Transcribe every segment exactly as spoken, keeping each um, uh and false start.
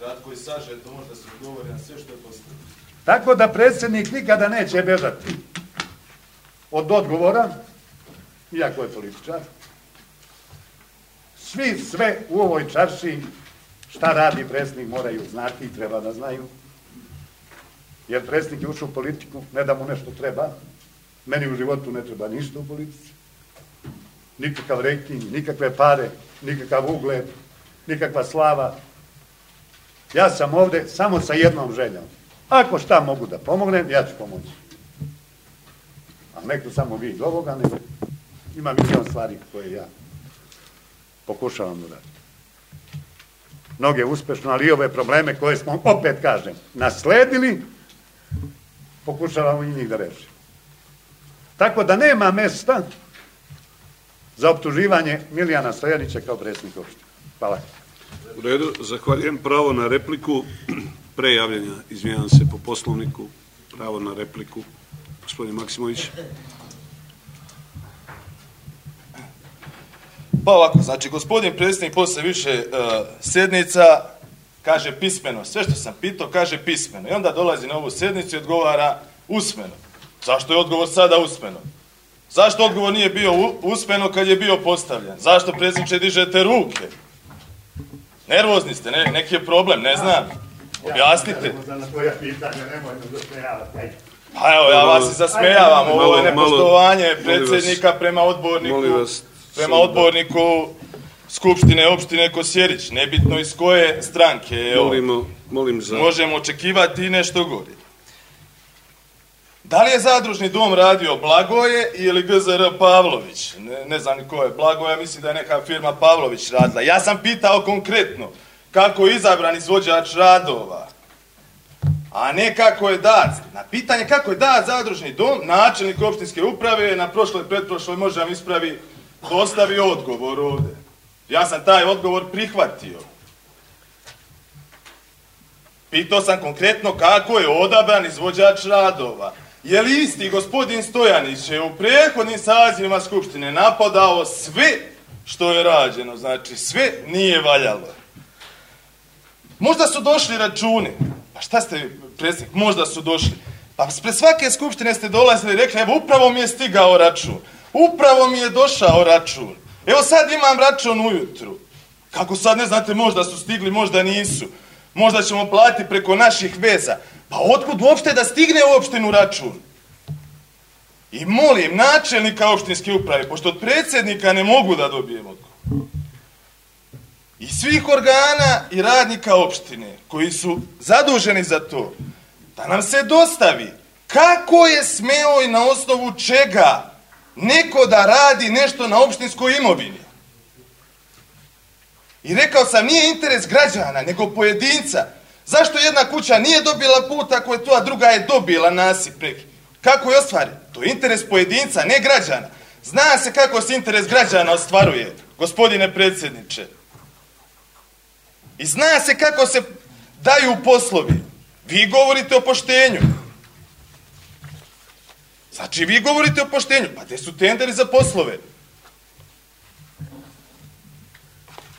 Kratko i sažeto, možda se odgovori na sve što je postavljeno. Tako da predsjednik nikada neće bežati od odgovora, iako je političar. Svi sve u ovoj čarši šta radi predsjednik moraju znati i treba da znaju. Jer predsjednik je ušao u politiku, ne da mu nešto treba. Meni u životu ne treba ništa u politici. Nikakav rejting, nikakve pare, nikakav ugled, nikakva slava. Ja sam ovde samo sa jednom željom. Ako šta mogu da pomognem, ja ću pomoći. A neko samo vi iz ovoga, nego ima milion stvari koje ja pokušavam da radim. Mnoge uspešno, ali i ove probleme koje smo, opet kažem, nasledili, pokušavamo i njih da rešimo. Tako da nema mesta za optuživanje Milijana Stojanića kao predsjednika opštine. Hvala. U redu, zahvaljujem. Pravo na repliku, pre javljanja, izvijem se po poslovniku, pravo na repliku, gospodin Maksimović. Pa ovako, znači, gospodin predsjednik posle više uh, sednica kaže pismeno. Sve što sam pitao, kaže pismeno. I onda dolazi na ovu sednicu i odgovara usmeno. Zašto je odgovor sada usmeno? Zašto odgovor nije bio usmeno kad je bio postavljan? Zašto, predsjedniče, dižete ruke? Nervozni ste, ne, neki je problem, ne znam. Objasnite. Pa evo, ja vas i zasmejavam. Ovo je nepoštovanje predsjednika prema odborniku, prema odborniku Skupštine opštine Kosjerić. Nebitno iz koje stranke. Molimo, molim za... Možemo očekivati i nešto gore. Da li je zadružni dom radio Blagoje ili G Z R Pavlović? Ne, ne znam ni ko je Blagoje, mislim da je neka firma Pavlović radila. Ja sam pitao konkretno kako je izabran izvođač radova, a ne kako je dat. Na pitanje kako je dat zadružni dom, načelnik opštinske uprave na prošloj, pretprošloj, može vam ispravi, dostavio odgovor ovde. Ja sam taj odgovor prihvatio. Pitao sam konkretno kako je odabran izvođač radova. Je li isti gospodin Stojanić je u prethodnim sazivima Skupštine napadao sve što je rađeno, znači sve nije valjalo. Možda su došli računi. Pa šta ste, predsjednik, možda su došli. Pa pre svake Skupštine ste dolazili i rekli, evo upravo mi je stigao račun. Upravo mi je došao račun. Evo sad imam račun ujutru. Kako sad ne znate, možda su stigli, možda nisu. Možda ćemo platiti preko naših veza. Pa otkud uopšte da stigne u opštinu račun? I molim načelnika opštinske uprave, pošto od predsjednika ne mogu da dobijem odgovor, i svih organa i radnika opštine koji su zaduženi za to, da nam se dostavi kako je smeo i na osnovu čega neko da radi nešto na opštinskoj imovini. I rekao sam, nije interes građana, nego pojedinca. Zašto jedna kuća nije dobila put ako je to, a druga je dobila nasip preki? Kako je ostvaren? To je interes pojedinca, ne građana. Zna se kako se interes građana ostvaruje, gospodine predsjedniče. I zna se kako se daju poslovi. Vi govorite o poštenju. Znači, vi govorite o poštenju. Pa gde su tenderi za poslove?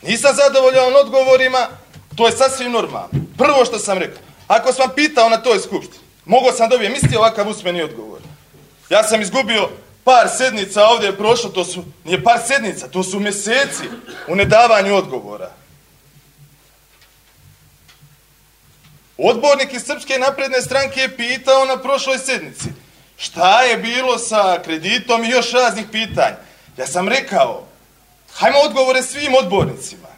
Nisam zadovoljan odgovorima, to je sasvim normalno. Prvo što sam rekao, ako sam pitao na toj skupštini, mogao sam dobijem isti ovakav usmeni odgovor. Ja sam izgubio par sednica, ovdje je prošlo, to su, nije par sednica, to su mjeseci u nedavanju odgovora. Odbornik iz Srpske napredne stranke je pitao na prošloj sednici šta je bilo sa kreditom i još raznih pitanja. Ja sam rekao, hajmo odgovore svim odbornicima.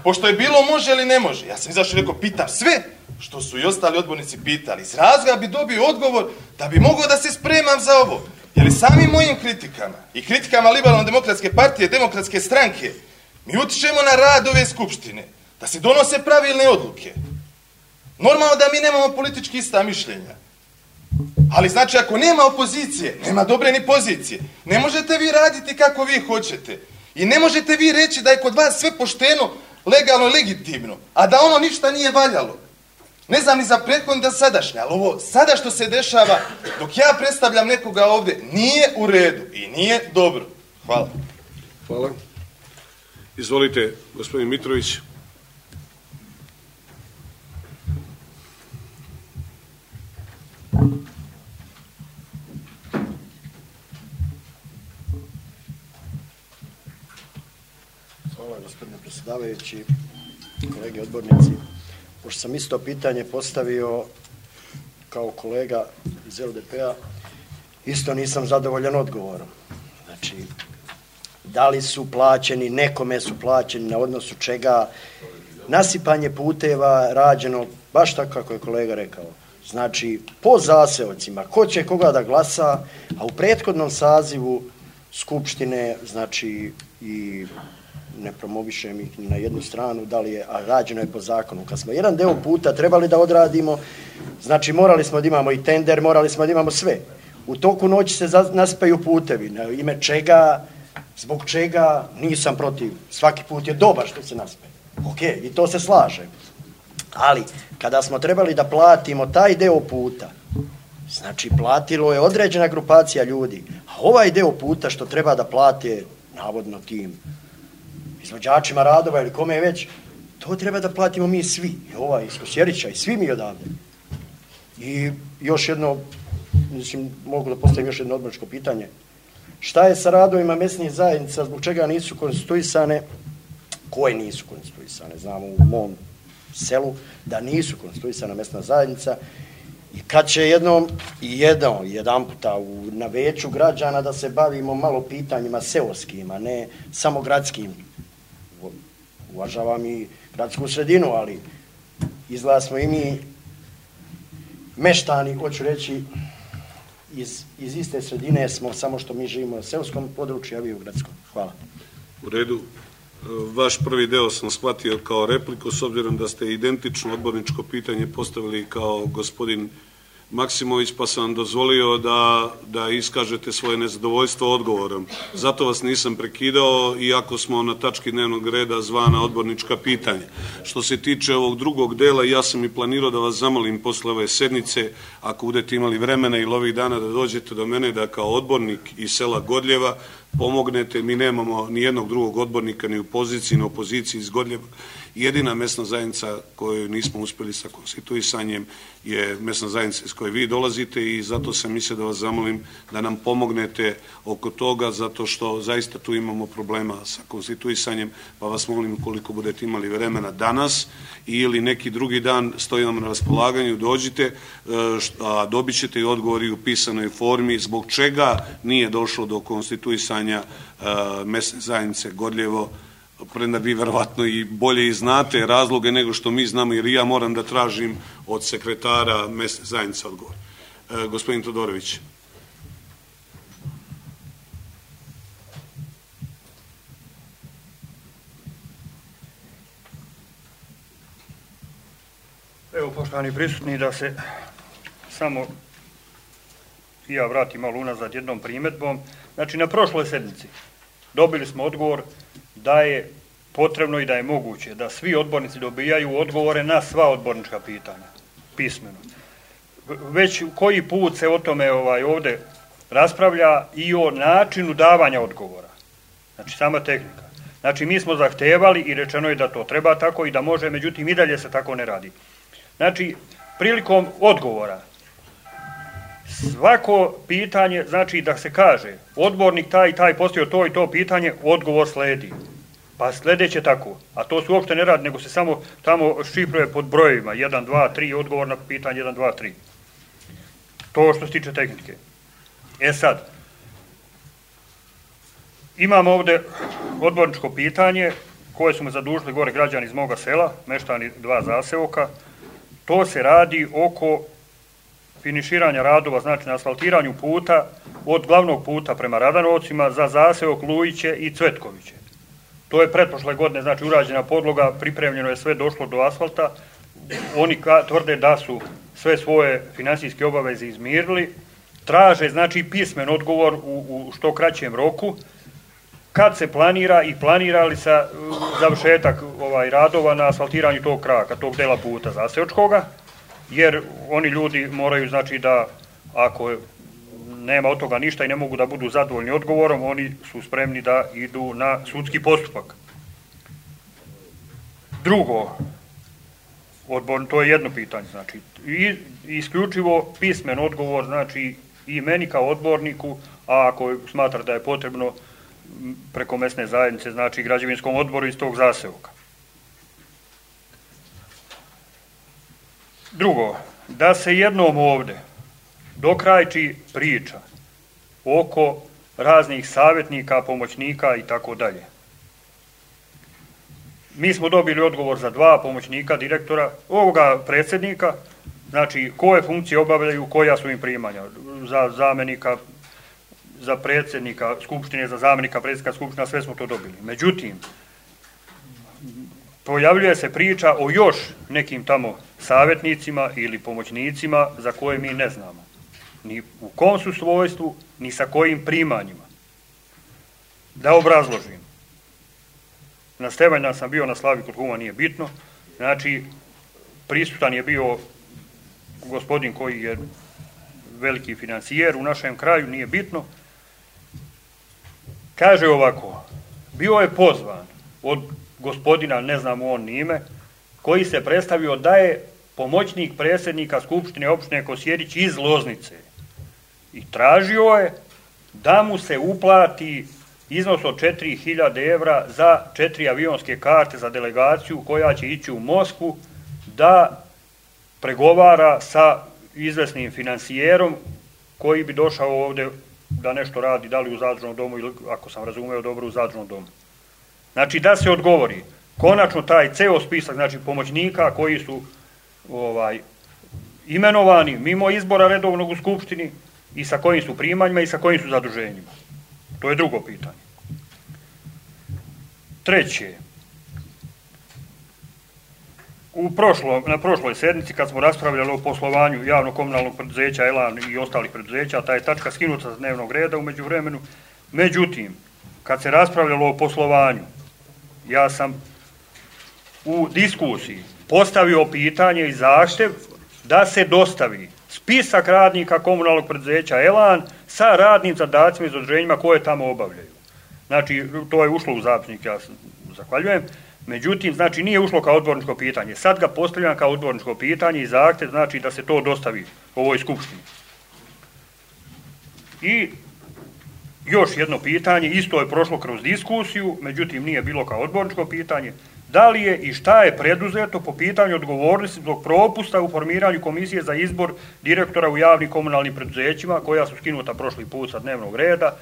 Pošto je bilo može ili ne može. Ja sam izašao i rekao, pitam sve što su i ostali odbornici pitali. Iz razloga bi dobio odgovor da bi mogao da se spremam za ovo. Jer i samim mojim kritikama i kritikama Liberalno-demokratske partije, demokratske stranke, mi utičemo na rad ove skupštine, da se donose pravilne odluke. Normalno da mi nemamo politički ista mišljenja. Ali znači, ako nema opozicije, nema dobre ni pozicije. Ne možete vi raditi kako vi hoćete. I ne možete vi reći da je kod vas sve pošteno, legalno i legitimno, a da ono ništa nije valjalo. Ne znam ni za prethodni da sadašnje, ali ovo sada što se dešava, dok ja predstavljam nekoga ovde, nije u redu i nije dobro. Hvala. Hvala. Izvolite, gospodin Mitrović. Hvala, gospodine predsjedavajući, kolege odbornici. Pošto sam isto pitanje postavio kao kolega iz L D P-a, isto nisam zadovoljan odgovorom. Znači, da li su plaćeni, nekome su plaćeni, na odnosu čega, nasipanje puteva rađeno, baš tako kako je kolega rekao. Znači, po zaseocima, ko će koga da glasa, a u prethodnom sazivu Skupštine, znači, i ne promovišem ih ni na jednu stranu, da li je, a rađeno je po zakonu. Kad smo jedan deo puta trebali da odradimo, znači morali smo da imamo i tender, morali smo da imamo sve. U toku noći se naspaju putevi, na ime čega, zbog čega, nisam protiv. Svaki put je dobar što se naspe. Ok, i to se slaže. Ali, kada smo trebali da platimo taj deo puta, znači platilo je određena grupacija ljudi, a ovaj deo puta što treba da plate, navodno tim izvođačima radova ili kome je već, to treba da platimo mi svi, i ovaj iz Kosjerića i svi mi odavde. I još jedno, mislim, mogu da postavim još jedno odborničko pitanje. Šta je sa radovima mesnih zajednica, zbog čega nisu konstituisane, koje nisu konstituisane? Znamo u mom selu da nisu konstituisana mesna zajednica i kad će jednom, jedno, jedan puta u, na veću građana da se bavimo malo pitanjima seoskim, a ne samo gradskim. Uvažavam i gradsku sredinu, ali izgleda smo i mi meštani, hoću reći, iz, iz iste sredine smo, samo što mi živimo na seoskom području, a vi u gradskom. Hvala. U redu. Vaš prvi deo sam shvatio kao repliku, s obzirom da ste identično odborničko pitanje postavili kao gospodin Maksimović, pa sam vam dozvolio da, da iskažete svoje nezadovoljstvo odgovorom. Zato vas nisam prekidao, iako smo na tački dnevnog reda zvana odbornička pitanja. Što se tiče ovog drugog dela, ja sam i planirao da vas zamolim posle ove sednice, ako budete imali vremena ili ovih dana da dođete do mene, da kao odbornik iz sela Godljeva pomognete. Mi nemamo ni jednog drugog odbornika ni u poziciji, ni u opoziciji iz Godljeva. Jedina mesna zajednica koju nismo uspeli sa konstituisanjem je mesna zajednica iz koje vi dolazite i zato sam mislio da vas zamolim da nam pomognete oko toga, zato što zaista tu imamo problema sa konstituisanjem, pa vas molim koliko budete imali vremena danas ili neki drugi dan, stojim vam na raspolaganju, dođite, a dobit ćete i odgovori u pisanoj formi zbog čega nije došlo do konstituisanja mesne zajednice Godljevo, premda vi verovatno i bolje i znate razloge nego što mi znamo, jer ja moram da tražim od sekretara mesne zajednice odgovor. E, gospodin Todorović. Evo, poštovani prisutni, da se samo i ja vratim malo unazad jednom primjedbom. Znači, na prošloj sednici dobili smo odgovor da je potrebno i da je moguće da svi odbornici dobijaju odgovore na sva odbornička pitanja, pismeno. Već koji put se o tome ovaj, ovde raspravlja i o načinu davanja odgovora. Znači, sama tehnika. Znači, mi smo zahtevali i rečeno je da to treba tako i da može, međutim, i dalje se tako ne radi. Znači, prilikom odgovora, svako pitanje, znači da se kaže, odbornik taj i taj postavio to i to pitanje, odgovor sledi. Pa sledeće tako, a to se uopšte ne radi, nego se samo tamo šifruje pod brojevima, jedan, dva, tri, odgovor na pitanje jedan, dva, tri. To što se tiče tehnike. E sad, imamo ovde odborničko pitanje koje su me zadužili gore građani iz moga sela, meštani dva zaseoka. To se radi oko finiširanja radova, znači na asfaltiranju puta od glavnog puta prema Radanovcima za zaseok Lujiće i Cvetkoviće. To je pretprošle godine, znači urađena podloga, pripremljeno je sve, došlo do asfalta. Oni tvrde da su sve svoje finansijske obaveze izmirili. Traže, znači, pismen odgovor u, u što kraćem roku. Kad se planira i planira li sa završetak ovaj, radova na asfaltiranju tog kraka, tog dela puta zaseočkoga, jer oni ljudi moraju, znači, da ako nema od toga ništa i ne mogu da budu zadovoljni odgovorom, oni su spremni da idu na sudski postupak. Drugo, Odbor, to je jedno pitanje, znači, i isključivo pismen odgovor, znači, i meni kao odborniku, a ako smatra da je potrebno preko mesne zajednice, znači građevinskom odboru iz tog zaseoka. Drugo, da se jednom ovde dokrajči priča oko raznih savjetnika, pomoćnika i tako dalje. Mi smo dobili odgovor za dva pomoćnika direktora, ovoga predsjednika, znači koje funkcije obavljaju, koja su im primanja, za zamenika, za predsjednika skupštine, za zamenika predsjednika skupština, sve smo to dobili. Međutim, pojavljuje se priča o još nekim tamo savjetnicima ili pomoćnicima za koje mi ne znamo. Ni u kom su svojstvu, ni sa kojim primanjima. Da obrazložim. Na Stevanjdan sam bio na slavi kod kuma, nije bitno. Znači, prisutan je bio gospodin koji je veliki financijer u našem kraju, nije bitno. Kaže ovako, bio je pozvan od gospodina, ne znam on ni ime, koji se predstavio da je pomoćnik predsjednika Skupštine opštine Kosjerić iz Loznice. I tražio je da mu se uplati iznos od četiri hiljade evra za četiri avionske karte za delegaciju koja će ići u Moskvu da pregovara sa izvesnim financijerom koji bi došao ovdje da nešto radi, da li u zadružnom domu ili, ako sam razumeo dobro, u zadružnom domu. Znači da se odgovori, konačno taj ceo spisak, znači pomoćnika koji su ovaj, imenovani mimo izbora redovnog u Skupštini i sa kojim su primanjima i sa kojim su zaduženjima. To je drugo pitanje. Treće, u prošlo, na prošloj sednici kad smo raspravljali o poslovanju javno-komunalnog preduzeća Elan i ostalih preduzeća, ta je tačka skinuta sa dnevnog reda u međuvremenu. Međutim, kad se raspravljalo o poslovanju, ja sam u diskusiji postavio pitanje i zahtev da se dostavi spisak radnika komunalnog preduzeća Elan sa radnim zadacima i zaduženjima koje tamo obavljaju. Znači, to je ušlo u zapisnik, ja zahvaljujem. Međutim, znači, nije ušlo kao odborničko pitanje. Sad ga postavljam kao odborničko pitanje i zahtev, znači, da se to dostavi ovoj skupštini. I još jedno pitanje, isto je prošlo kroz diskusiju, međutim, nije bilo kao odborničko pitanje. Da li je i šta je preduzeto po pitanju odgovornosti zbog propusta u formiranju komisije za izbor direktora u javnim komunalnim preduzećima, koja su skinuta prošli put sa dnevnog reda.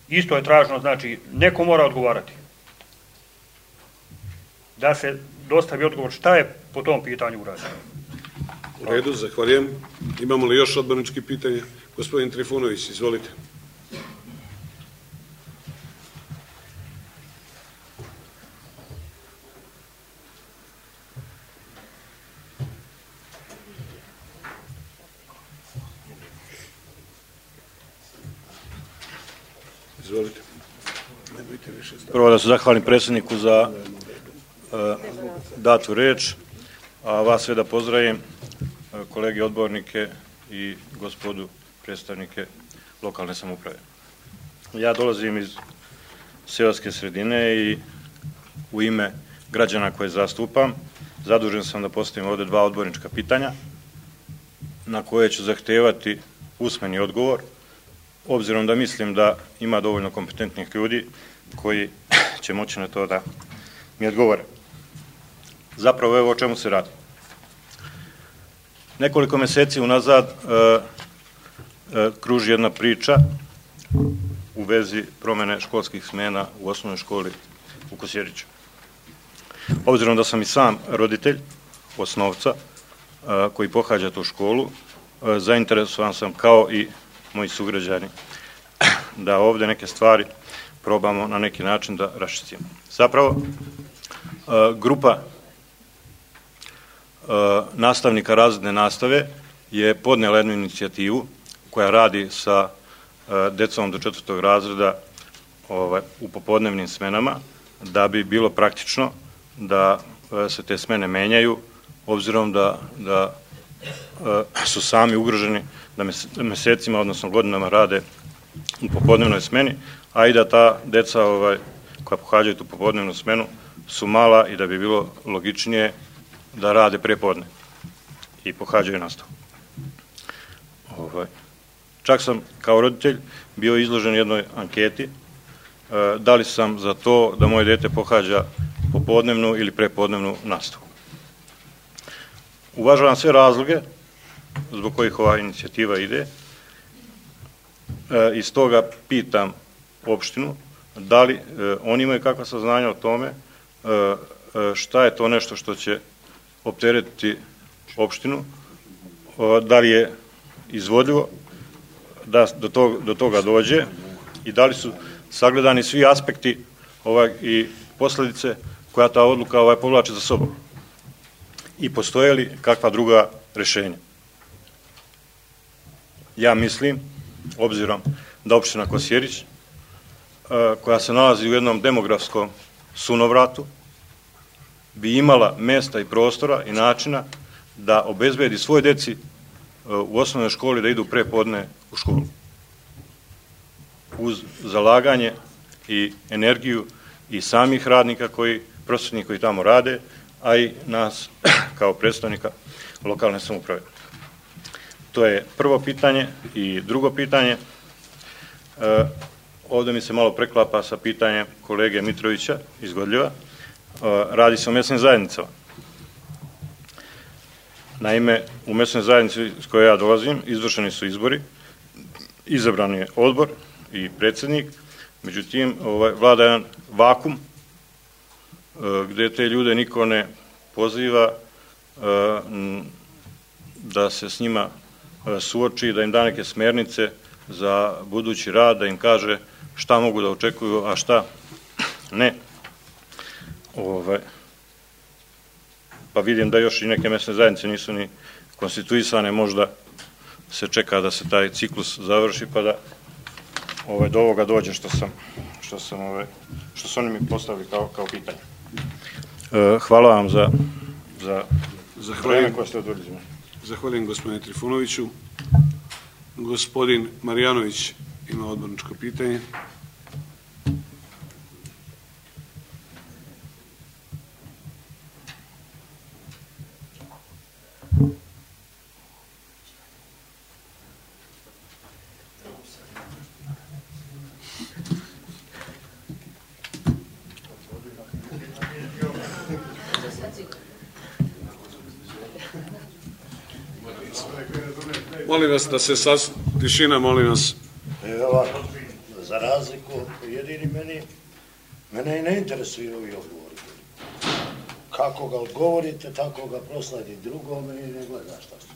Isto je traženo, znači, neko mora odgovarati. Da se dostavi odgovor šta je po tom pitanju urađeno. U redu, zahvaljujem. Imamo li još odbornički pitanja? Gospodin Trifunović, izvolite. Izvolite. Prvo da se zahvalim predsjedniku za uh, datu reč, a vas sve da pozdravim, uh, kolege odbornike i gospodu predstavnike lokalne samouprave. Ja dolazim iz seoske sredine i u ime građana koje zastupam zadužen sam da postavim ovdje dva odbornička pitanja na koje ću zahtevati usmeni odgovor, obzirom da mislim da ima dovoljno kompetentnih ljudi koji će moći na to da mi odgovore. Zapravo evo o čemu se radi. Nekoliko mjeseci unazad e, e, kruži jedna priča u vezi promjene školskih smjena u osnovnoj školi u Kosjeriću. Obzirom da sam i sam roditelj osnovca e, koji pohađa tu školu, e, zainteresovan sam kao i moji sugrađani da ovdje neke stvari probamo na neki način da raščistimo. Zapravo, grupa nastavnika razredne nastave je podnijela jednu inicijativu koja radi sa decom do četvrtog razreda u popodnevnim smenama, da bi bilo praktično da se te smene menjaju, obzirom da, da su sami ugroženi da mjesecima, odnosno godinama rade u popodnevnoj smeni, a i da ta deca ovaj, koja pohađaju tu popodnevnu smenu su mala i da bi bilo logičnije da rade prepodne i pohađaju nastavu. Ovaj. Čak sam kao roditelj bio izložen jednoj anketi da li sam za to da moje dete pohađa popodnevnu ili prepodnevnu nastavu. Uvažavam sve razloge zbog kojih ova inicijativa ide i stoga pitam opštinu da li oni imaju kakva saznanja o tome šta je to nešto što će opteretiti opštinu, da li je izvodljivo da do toga, do toga dođe i da li su sagledani svi aspekti ovaj, i posljedice koja ta odluka ovaj, povlači za sobom i postoje li kakva druga rješenja. Ja mislim, obzirom da opština Kosjerić, koja se nalazi u jednom demografskom sunovratu, bi imala mjesta i prostora i načina da obezbedi svoj deci u osnovnoj školi da idu prepodne u školu. Uz zalaganje i energiju i samih radnika koji, prosvetnih koji tamo rade, a i nas kao predstavnika lokalne samouprave. To je prvo pitanje. I drugo pitanje, e, ovdje mi se malo preklapa sa pitanjem kolege Mitrovića iz Godljeva, e, radi se o mjesnim zajednicama. Naime, u mjesnoj zajednici s koje ja dolazim izvršeni su izbori, izabran je odbor i predsjednik, međutim ovaj, vlada jedan vakum gdje te ljude niko ne poziva da se s njima suoči, da im da neke smjernice za budući rad, da im kaže šta mogu da očekuju, a šta ne. Ovaj, pa vidim da još i neke mjesne zajednice nisu ni konstituisane, možda se čeka da se taj ciklus završi pa da ovaj, do ovoga dođe što sam, što sam, ovaj, što su oni mi postavili kao, kao pitanje. E, hvala vam za, za Zahvaljujem, koje ste odvodili. Zahvaljujem gospodine Trifunoviću. Gospodin Marjanović ima odborničko pitanje. Molim vas da se sas... tišina, molim vas. Evo, za razliku, jedini meni, mene i ne interesuju ovi odgovori. Kako ga odgovorite, tako ga prosladi drugome i ne gleda šta su.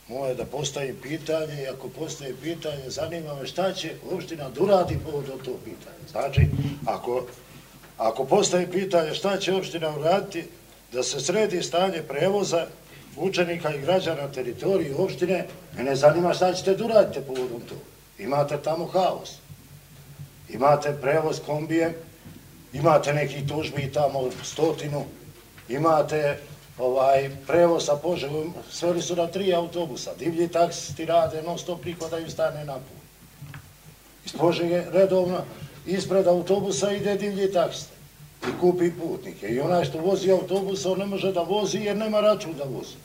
Moje da postavim pitanje i ako postavim pitanje, zanima me šta će opština da uradi povodom tog pitanja. Znači, ako, ako postavim pitanje šta će opština uraditi, da se sredi stanje prevoza učenika i građana na teritoriji opštine, mene zanima šta ćete da uradite povodom toga. Imate tamo haos. Imate prevoz kombijem, imate nekih tužbi tamo stotinu, imate ovaj prevoz sa Požegom, sveli su na tri autobusa, divlji taksisti rade, non stop prihodaju stane na put. Iz Požege redovno ispred autobusa ide divlji taksista i kupi putnike. I onaj što vozi autobusa, on ne može da vozi jer nema račun da vozi.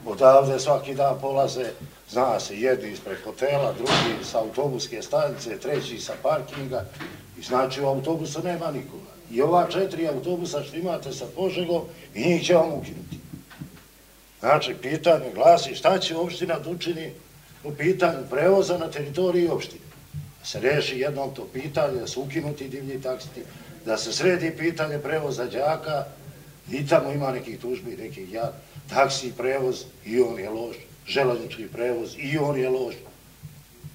Odavde svaki dan polaze, zna se, jedni ispred hotela, drugi sa autobuske stanice, treći sa parkinga. I znači u autobusu nema nikoga. I ova četiri autobusa što imate sa Požegom, i njih će vam ukinuti. Znači, pitanje glasi šta će opština da učini u pitanju prevoza na teritoriji opštine. Da se reši jednom to pitanje, da se ukinuti divlji taksiti, da se sredi pitanje prevoza đaka, i tamo ima nekih tužbi, nekih ja, taksi prevoz, i on je loš, železnički prevoz, i on je loš.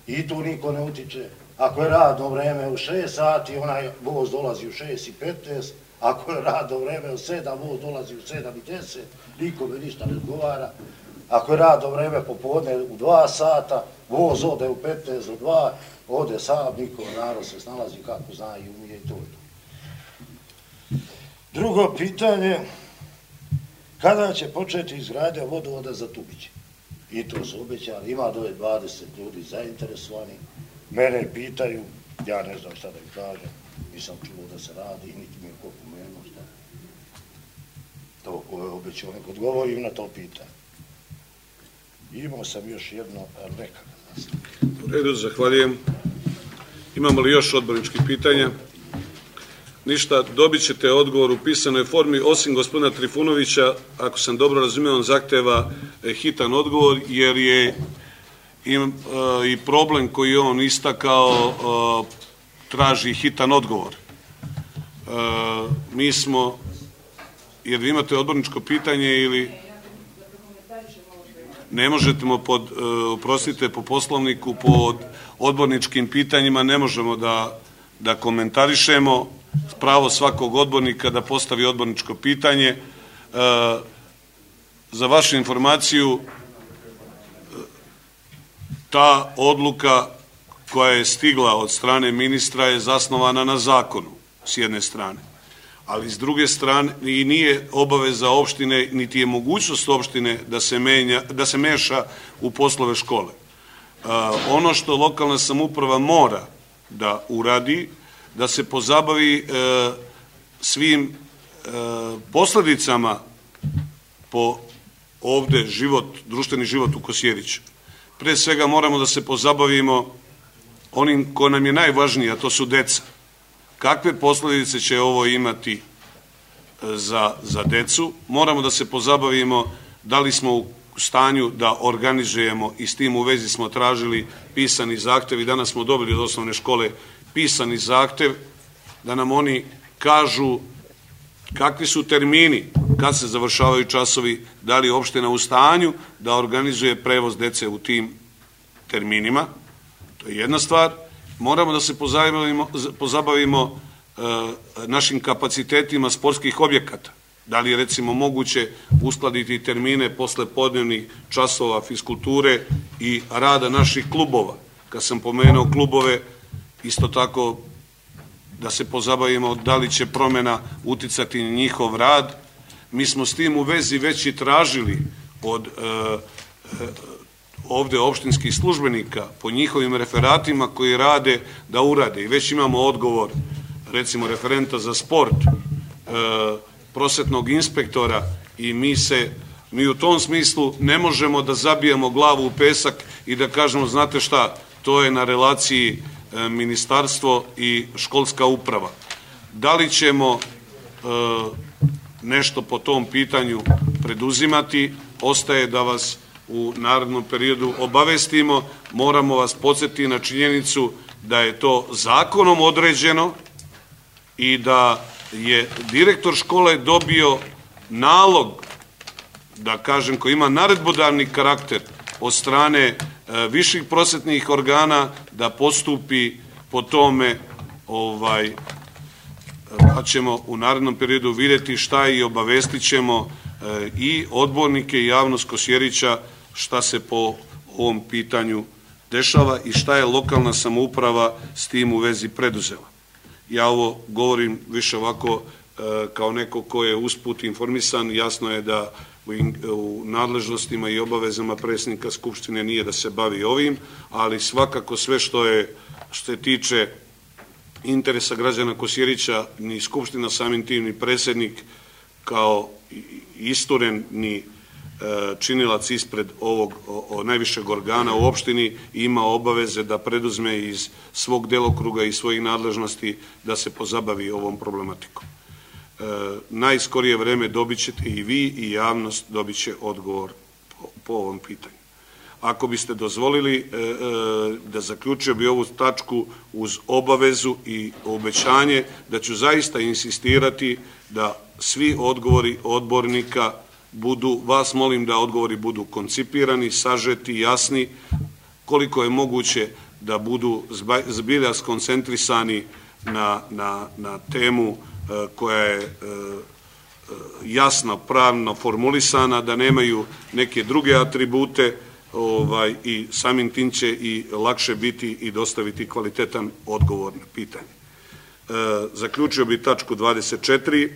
I tu niko ne utiče. Ako je radno vreme u šest sati, onaj voz dolazi u šest i petnaest, ako je radno vreme u sedam, voz dolazi u sedam i deset, nikome ništa ne odgovara. Ako je radno vreme popodne u dva sata, voz ode u petnaest do dva, ode sam, niko, narod se snalazi kako zna i umije i to. Drugo pitanje, kada će početi izgradnja vodovoda za Tubiće? I to su obećali, ima dole dvadeset ljudi zainteresovani. Mene pitaju, ja ne znam šta da im kažem, nisam čuo da se radi, niti mi je ko pomenuo šta. to koje je obećao, nek odgovorim na to pitanje. Imao sam još jedno, ali neka. U redu, zahvaljujem. Imamo li još odborničkih pitanja? Ništa, dobit ćete odgovor u pisanoj formi, osim gospodina Trifunovića, ako sam dobro razumio, on zahteva hitan odgovor, jer je i problem koji on istakao traži hitan odgovor. Mi smo, jer vi imate odborničko pitanje ili... Ne možete pod, oprostite, po poslovniku, pod odborničkim pitanjima ne možemo da, da komentarišemo pravo svakog odbornika da postavi odborničko pitanje. E, za vašu informaciju, ta odluka koja je stigla od strane ministra je zasnovana na zakonu, s jedne strane. Ali s druge strane i nije obaveza opštine, niti je mogućnost opštine da se, menja, da se meša u poslove škole. E, ono što lokalna samouprava mora da uradi, da se pozabavi e, svim e, posledicama po ovde život, društveni život u Kosjeriću. Pre svega moramo da se pozabavimo onim ko nam je najvažnije, a to su deca. Kakve posledice će ovo imati za, za decu? Moramo da se pozabavimo da li smo u stanju da organizujemo i s tim u vezi smo tražili pisani zahtev i danas smo dobili od osnovne škole pisani zahtev da nam oni kažu kakvi su termini, kad se završavaju časovi, da li je opština u stanju da organizuje prevoz dece u tim terminima. To je jedna stvar. Moramo da se pozabavimo, pozabavimo e, našim kapacitetima sportskih objekata. Da li je recimo moguće uskladiti termine posle podnevnih časova fiskulture i rada naših klubova. Kad sam pomenuo klubove, isto tako da se pozabavimo da li će promena uticati na njihov rad. Mi smo s tim u vezi već i tražili od e, e, ovde opštinskih službenika po njihovim referatima koji rade da urade. I već imamo odgovor, recimo referenta za sport, e, prosvetnog inspektora i mi se, mi u tom smislu ne možemo da zabijemo glavu u pesak i da kažemo, znate šta, to je na relaciji e, ministarstvo i školska uprava. Da li ćemo e, nešto po tom pitanju preduzimati, ostaje da vas u narednom periodu obavestimo. Moramo vas podsjetiti na činjenicu da je to zakonom određeno i da je direktor škole dobio nalog, da kažem, koji ima naredbodavni karakter od strane e, viših prosvetnih organa da postupi po tome, ovaj, pa ćemo u narednom periodu vidjeti šta i obavestit ćemo e, i odbornike i javnost Kosjerića šta se po ovom pitanju dešava i šta je lokalna samouprava s tim u vezi preduzela. Ja ovo govorim više ovako e, kao neko ko je usput informisan. Jasno je da u, u nadležnostima i obavezama predsjednika Skupštine nije da se bavi ovim, ali svakako sve što je što se tiče interesa građana Kosjerića, ni Skupština samim tim, ni predsjednik kao isturen, ni e, činilac ispred ovog o, o najvišeg organa u opštini ima obaveze da preduzme iz svog delokruga i svojih nadležnosti da se pozabavi ovom problematikom. E, najskorije vreme dobit ćete i vi i javnost dobit će odgovor po, po ovom pitanju. Ako biste dozvolili, e, e, da zaključio bi ovu tačku uz obavezu i obećanje da ću zaista insistirati da svi odgovori odbornika budu, vas molim da odgovori budu koncipirani, sažeti, jasni, koliko je moguće da budu zbilja skoncentrisani na, na, na temu e, koja je e, jasno, pravno formulisana, da nemaju neke druge atribute, ovaj, i samim tim će i lakše biti i dostaviti kvalitetan odgovor na pitanje. E, zaključio bi tačku dvadeset četiri,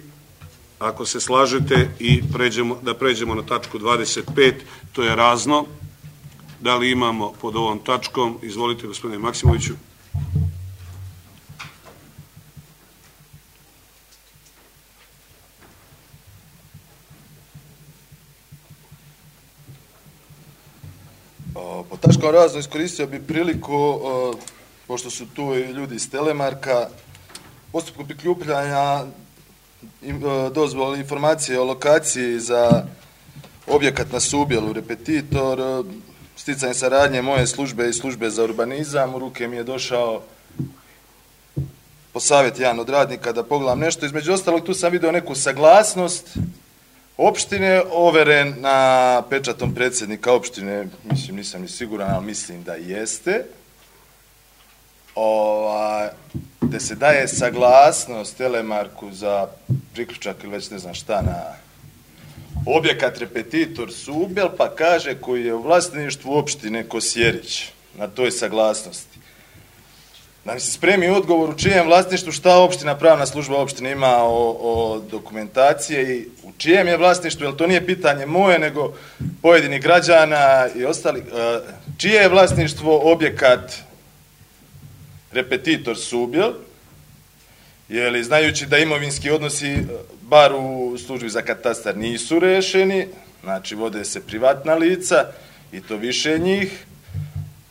ako se slažete, i pređemo, da pređemo na tačku dvadeset pet, to je razno. Da li imamo pod ovom tačkom? Izvolite, gospodine Maksimoviću. Po tačkom razno iskoristio bi priliku, pošto su tu i ljudi iz Telemarka, postupku prikupljanja dozvole informacije o lokaciji za objekat na Subjelu, Repetitor, sticanje saradnje moje službe i službe za urbanizam, u ruke mi je došao po savjet jedan od radnika da pogledam nešto. Između ostalog, tu sam vidio neku saglasnost opštine, overen na pečatom predsjednika opštine, mislim, nisam ni siguran, ali mislim da jeste, Ova, gde se daje saglasnost Telemarku za priključak ili već ne znam šta na objekat Repetitor Subjel, pa kaže koji je u vlasništvu opštine Kosjerić na toj saglasnosti. Da mi se spremi odgovor u čijem vlasništvu, šta opština, pravna služba opštine ima o, o dokumentacije i u čijem je vlasništvu, jer to nije pitanje moje, nego pojedinih građana i ostali. Čije je vlasništvo objekat Repetitor Subjel, jer znajući da imovinski odnosi, bar u službi za katastar, nisu rešeni, znači vode se privatna lica i to više njih,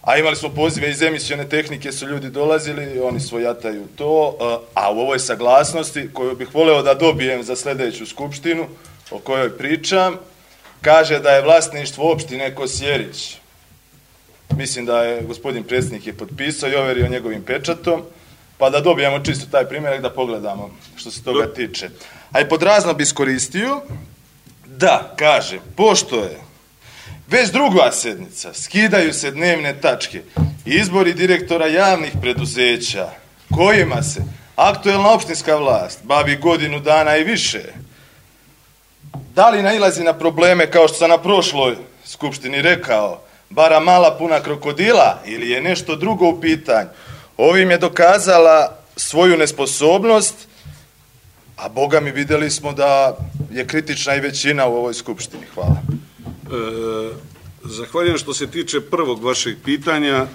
a imali smo pozive iz emisione tehnike, su ljudi dolazili, oni svojataju to, a u ovoj saglasnosti, koju bih voleo da dobijem za sledeću skupštinu, o kojoj pričam, kaže da je vlasništvo opštine Kosjerić. Mislim da je gospodin predsjednik je potpisao i overio njegovim pečatom, pa da dobijemo čisto taj primjerak da pogledamo što se toga tiče. A i pod razno bi iskoristio da, kaže, pošto je već druga sednica, skidaju se dnevne tačke i izbori direktora javnih preduzeća, kojima se aktuelna opštinska vlast bavi godinu dana i više, da li nailazi na probleme, kao što sam na prošloj skupštini rekao, bara mala puna krokodila, ili je nešto drugo u pitanju, ovim je dokazala svoju nesposobnost, a Boga mi videli smo da je kritična i većina u ovoj skupštini. Hvala. E, zahvaljujem. Što se tiče prvog vašeg pitanja, e,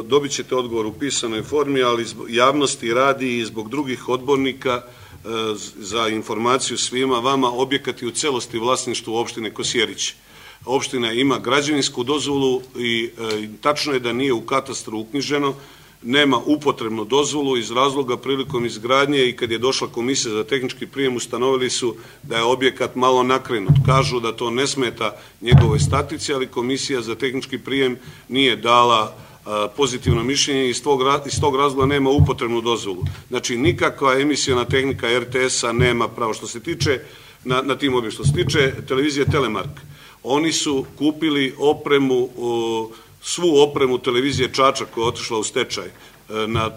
dobit ćete odgovor u pisanoj formi, ali zbog javnosti radi i zbog drugih odbornika, e, za informaciju svima vama, objekat je u celosti vlasništvu opštine Kosjerić. Opština ima građevinsku dozvolu i e, tačno je da nije u katastru uknjiženo, nema upotrebnu dozvolu iz razloga prilikom izgradnje i kad je došla komisija za tehnički prijem ustanovili su da je objekat malo nakrenut. Kažu da to ne smeta njegovoj statici, ali komisija za tehnički prijem nije dala a, pozitivno mišljenje i iz tog, iz tog razloga nema upotrebnu dozvolu. Znači nikakva emisijona tehnika er te es-a nema pravo. Što se tiče na, na tim objektima, što se tiče televizije Telemark, oni su kupili opremu, o, svu opremu televizije Čačak koja je otišla u stečaj. Na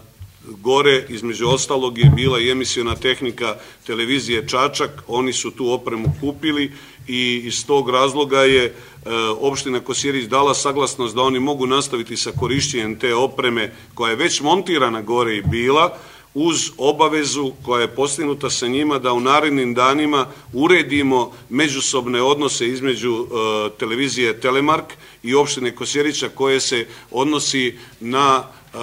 gore, između ostalog, je bila i emisiona tehnika televizije Čačak, oni su tu opremu kupili i iz tog razloga je e, opština Kosjerić dala saglasnost da oni mogu nastaviti sa korišćenjem te opreme koja je već montirana gore i bila, uz obavezu koja je postignuta sa njima da u narednim danima uredimo međusobne odnose između e, televizije Telemark i opštine Kosjerića koje se odnosi na e,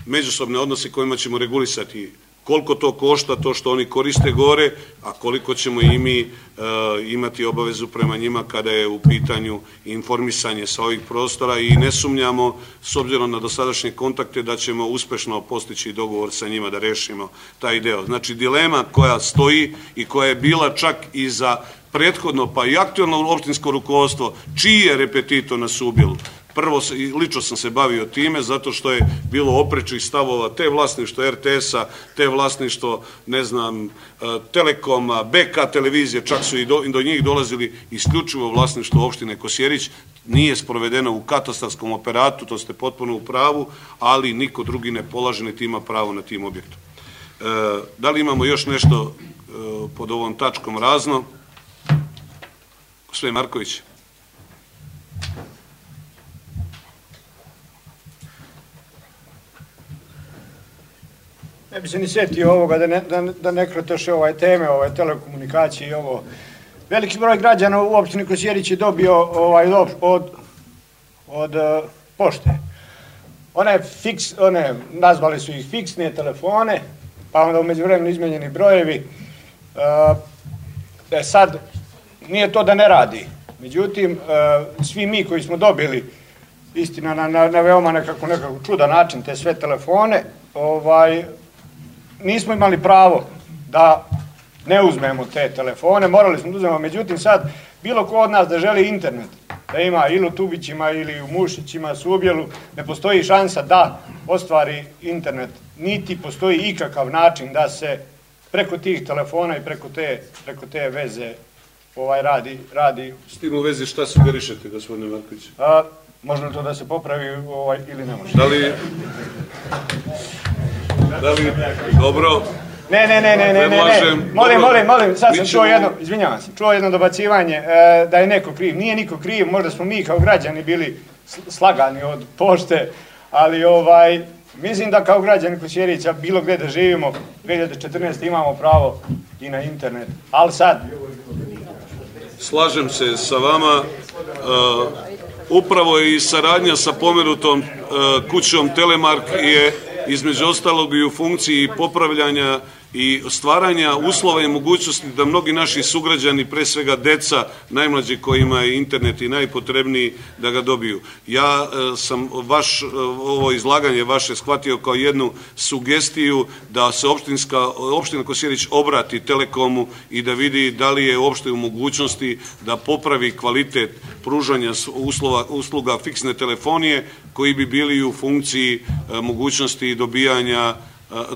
međusobne odnose kojima ćemo regulisati koliko to košta, to što oni koriste gore, a koliko ćemo i mi e, imati obavezu prema njima kada je u pitanju informisanje sa ovih prostora i ne sumnjamo, s obzirom na dosadašnje kontakte, da ćemo uspešno postići dogovor sa njima da rešimo taj deo. Znači, dilema koja stoji i koja je bila čak i za prethodno, pa i aktuelno opštinsko rukovodstvo, čiji je Repetitor na Subjelu. Prvo, lično sam se bavio time, zato što je bilo oprečnih stavova, te vlasništvo er te es-a, te vlasništvo, ne znam, Telekoma, be ka televizije, čak su i do, do njih dolazili isključivo vlasništvo opštine Kosjerić, nije sprovedeno u katastarskom operatu, to ste potpuno u pravu, ali niko drugi ne polaže, niti ima pravo na tim objektom. E, da li imamo još nešto e, pod ovom tačkom razno? Gospodin Marković. Ne bi se ni sjetio ovoga da ne, da, da ne krotoše ovaj teme, ovaj telekomunikacije i ovo. Veliki broj građana u opštini Kosjerić je dobio ovaj, od, od, od uh, pošte. One, fiks, one nazvali su ih fiksne telefone, pa onda u međuvremenu izmenjeni brojevi. Uh, e sad, nije to da ne radi. Međutim, uh, svi mi koji smo dobili istina na, na, na veoma nekako, nekako čudan način te sve telefone, ovaj, nismo imali pravo da ne uzmemo te telefone, morali smo da uzmemo, međutim sad bilo ko od nas da želi internet, da ima ili u Tubićima ili u Mušićima, Subjelu, ne postoji šansa da ostvari internet, niti postoji ikakav način da se preko tih telefona i preko te, preko te veze ovaj, radi, radi. S tim u vezi šta sugerišete, gospodine Marković? A, možda to da se popravi ovaj, ili ne može? Da li... Da li... Dobro... Ne, ne, ne, ne, ne, ne, ne. Molim, molim, molim, sad sam čuo jedno, izvinjavam se, čuo jedno dobacivanje e, da je neko kriv. Nije niko kriv, možda smo mi kao građani bili slagani od pošte, ali ovaj, mislim da kao građani Kosjerića bilo gdje da živimo, dvije hiljade četrnaeste. imamo pravo i na internet, ali sad... Slažem se sa vama, uh, upravo i saradnja sa pomenutom uh, kućom Telemark je između ostalog i u funkciji popravljanja i stvaranja uslova i mogućnosti da mnogi naši sugrađani, pre svega deca, najmlađi kojima je internet i najpotrebniji, da ga dobiju. Ja e, sam vaš, ovo izlaganje vaše shvatio kao jednu sugestiju da se opštinska, opština Kosjerić obrati Telekomu i da vidi da li je uopšte u mogućnosti da popravi kvalitet pružanja uslova, usluga fiksne telefonije koji bi bili u funkciji e, mogućnosti dobijanja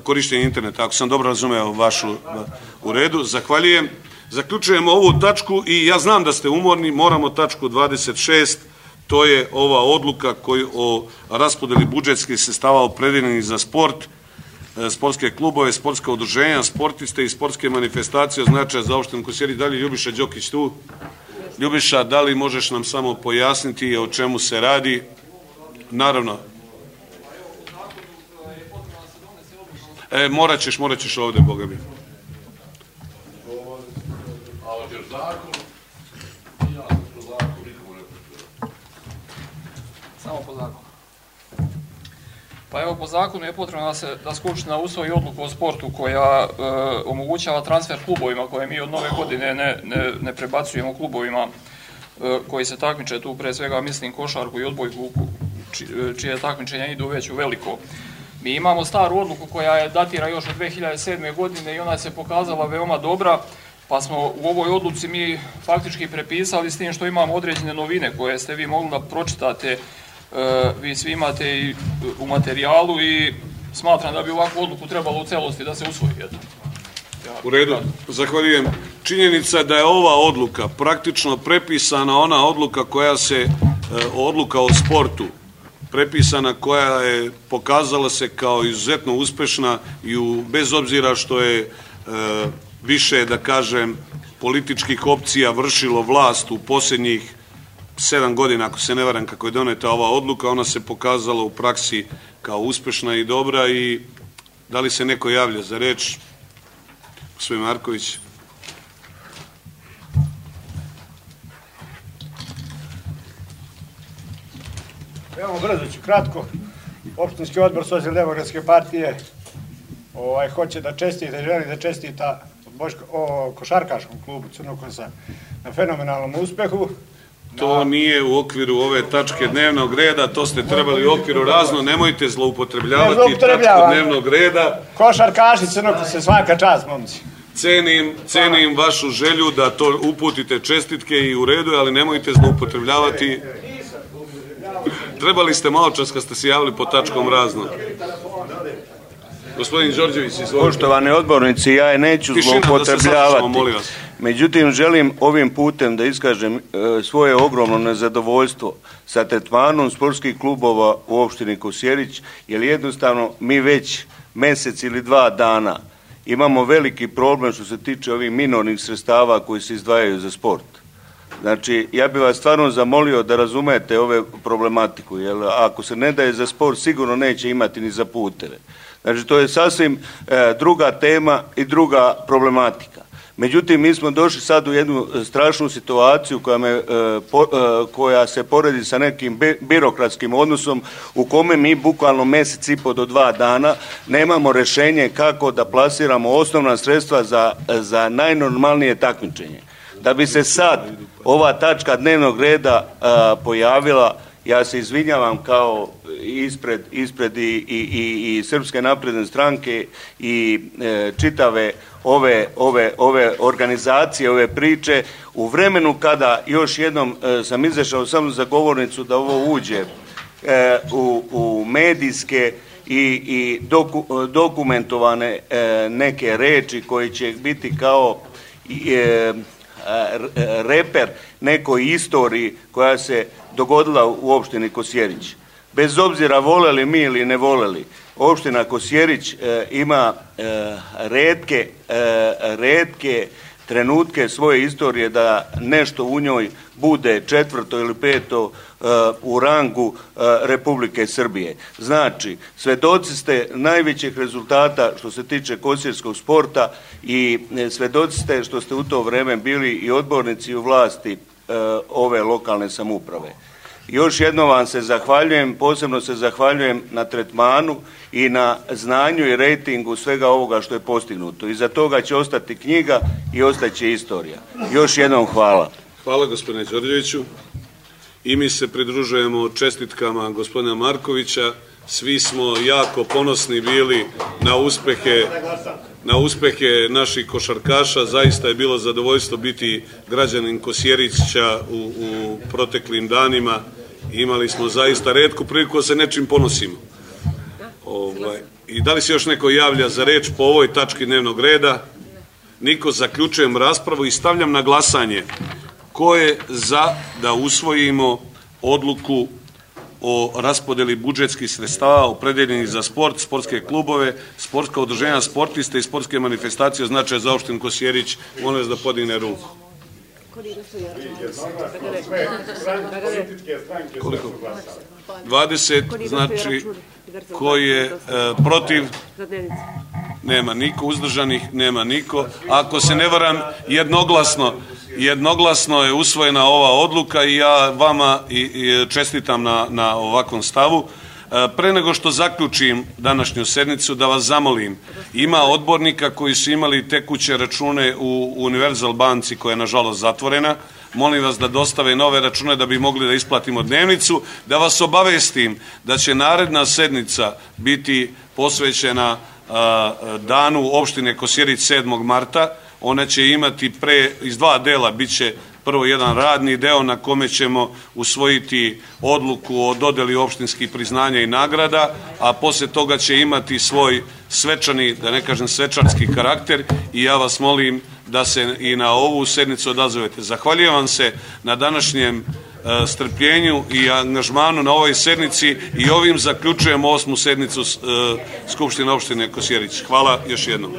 korištenje interneta, ako sam dobro razumeo vašu u redu. Zahvaljujem. Zaključujemo ovu tačku i ja znam da ste umorni, moramo tačku dvadeset šest, to je ova odluka koju o raspodeli budžetskih sredstava opredeljenih za sport, sportske klubove, sportska udruženja, sportiste i sportske manifestacije od značaja za opštinu Kosjerić. Da li je Ljubiša Đokić tu? Ljubiša, da li možeš nam samo pojasniti o čemu se radi? Naravno. E, morat ćeš, morat ćeš ovde, Boga mi. Samo po zakonu. Pa evo, po zakonu je potrebno da se da Skupština usvoji odluku o sportu koja e, omogućava transfer klubovima koje mi od nove godine ne, ne, ne prebacujemo klubovima e, koji se takmiče tu, pre svega mislim košarku i odbojku, či, čije takmičenja idu već u veliko. Mi imamo staru odluku koja je datira još od dve hiljade sedme. godine i ona se pokazala veoma dobra, pa smo u ovoj odluci mi faktički prepisali s tim što imamo određene novine koje ste vi mogli da pročitate, e, vi svi imate i u materijalu i smatram da bi ovakvu odluku trebalo u celosti da se usvoji. Ja, u redu, zahvaljujem. Činjenica da je ova odluka praktično prepisana, ona odluka koja se, e, odluka o sportu, prepisana koja je pokazala se kao izuzetno uspešna i u, bez obzira što je e, više, da kažem, političkih opcija vršilo vlast u posljednjih sedam godina, ako se ne varam, kako je doneta ova odluka, ona se pokazala u praksi kao uspešna i dobra. I da li se neko javlja za reč? Gospodin Marković. Veoma brzo ću, kratko. Opštinski odbor Socijaldemokratske partije ovaj, hoće da čestita i želi da čestita Boško, o košarkaškom klubu Crnokosa na fenomenalnom uspehu. To nije u okviru ove tačke dnevnog reda, to ste trebali u okviru razno, nemojte zloupotrebljavati ne tačku dnevnog reda. Košarkaši Crnokose, svaka čast, momci. Cenim, cenim vašu želju da to uputite čestitke i u redu, ali nemojte zloupotrebljavati. Trebali ste malo čas kad ste se javili po tačkom razno. Gospodin Đorđević, izvolite. Poštovani odbornici, ja je neću zloupotrebljavati. Međutim, želim ovim putem da iskažem e, svoje ogromno nezadovoljstvo sa tretmanom sportskih klubova u opštini Kosjerić, jer jednostavno mi već mesec ili dva dana imamo veliki problem što se tiče ovih minornih sredstava koji se izdvajaju za sport. Znači, ja bih vas stvarno zamolio da razumete ove problematiku, jer ako se ne daje za sport, sigurno neće imati ni za puteve. Znači, to je sasvim e, druga tema i druga problematika. Međutim, mi smo došli sad u jednu strašnu situaciju koja, me, e, po, e, koja se poredi sa nekim bi, birokratskim odnosom u kome mi bukvalno mjesec i po do dva dana nemamo rješenje kako da plasiramo osnovna sredstva za, za najnormalnije takmičenje. Da bi se sad ova tačka dnevnog reda a, pojavila, Ja se izvinjavam kao ispred, ispred i, i, i, i Srpske napredne stranke i e, čitave ove, ove, ove organizacije, ove priče, u vremenu kada još jednom e, sam izašao samo za govornicu da ovo uđe e, u, u medijske i, i doku, dokumentovane e, neke reči koje će biti kao e, reper nekoj istoriji koja se dogodila u opštini Kosjerić. Bez obzira voleli mi ili ne voleli, opština Kosjerić e, ima e, retke, e, retke trenutke svoje istorije da nešto u njoj bude četvrto ili peto uh, u rangu uh, Republike Srbije. Znači, svedoci ste najvećih rezultata što se tiče kosjerskog sporta i svedoci ste što ste u to vreme bili i odbornici u vlasti uh, ove lokalne samouprave. Još jednom vam se zahvaljujem, posebno se zahvaljujem na tretmanu i na znanju i rejtingu svega ovoga što je postignuto. Iza toga će ostati knjiga i ostaće istorija. Još jednom hvala. Hvala gospodine Đorđeviću. I mi se pridružujemo čestitkama gospodina Markovića. Svi smo jako ponosni bili na uspehe, na uspehe naših košarkaša. Zaista je bilo zadovoljstvo biti građanin Kosjerića u, u proteklim danima. Imali smo zaista retku priliku da se nečim ponosimo. Ovaj, I da li se još neko javlja za reč po ovoj tački dnevnog reda? Niko. Zaključujem raspravu i stavljam na glasanje ko je za da usvojimo odluku o raspodeli budžetskih sredstava opredeljenih za sport, sportske klubove, sportska udruženja sportista i sportske manifestacije od značaja za opštinu Kosjerić. Molim vas da podigne ruku. Koliko? dvadeset, znači ko je e, protiv? Nema niko, uzdržanih nema niko. Ako se ne varam, jednoglasno jednoglasno je usvojena ova odluka i ja vama i, i čestitam na, na ovakvom stavu. E, pre nego što zaključim današnju sednicu, da vas zamolim, ima odbornika koji su imali tekuće račune u Univerzal banci koja je nažalost zatvorena. Molim vas da dostave nove račune da bi mogli da isplatimo dnevnicu. Da vas obavestim da će naredna sednica biti posvećena a, danu opštine Kosjerić sedmog marta. Ona će imati pre, iz dva dela, bit će prvo jedan radni deo na kome ćemo usvojiti odluku o dodeli opštinskih priznanja i nagrada, a posle toga će imati svoj svečani, da ne kažem svečarski karakter i ja vas molim da se i na ovu sednicu odazovete. Zahvaljujem vam se na današnjem e, strpljenju i angažmanu na ovoj sednici i ovim zaključujem osmu sednicu e, Skupštine opštine Kosjerić. Hvala još jednom.